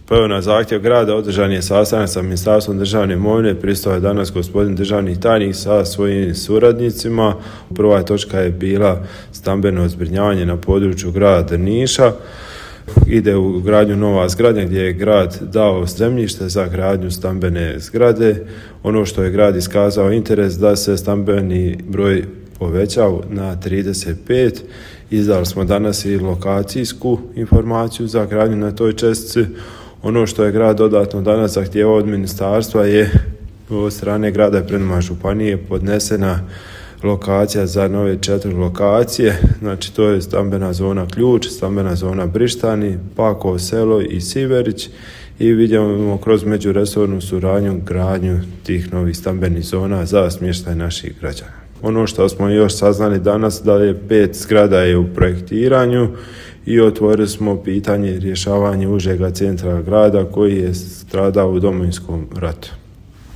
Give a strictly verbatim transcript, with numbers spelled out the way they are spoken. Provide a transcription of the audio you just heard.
Pa evo, na zahtjev grada održan je sastanak sa Ministarstvom državne imovine, pristao je danas gospodin državni tajnik sa svojim suradnicima. Prva točka je bila stambeno zbrinjavanje na području grada Drniša. Ide u gradnju nova zgrada gdje je grad dao zemljište za gradnju stambene zgrade. Ono što je grad iskazao interes da se stambeni broj poveća na trideset pet. Izdali smo danas i lokacijsku informaciju za gradnju na toj čestici. Ono što je grad dodatno danas zahtijevao od ministarstva je od strane grada i Prednjima županije podnesena lokacija za nove četiri lokacije. Znači to je stambena zona Ključ, stambena zona Brištani, Pakovo selo i Siverić, i vidimo kroz međuresornu suradnju gradnju tih novih stambenih zona za smještaj naših građana. Ono što smo još saznali danas da je pet zgrada je u projektiranju i otvorili smo pitanje rješavanja užega centra grada koji je stradao u Domovinskom ratu.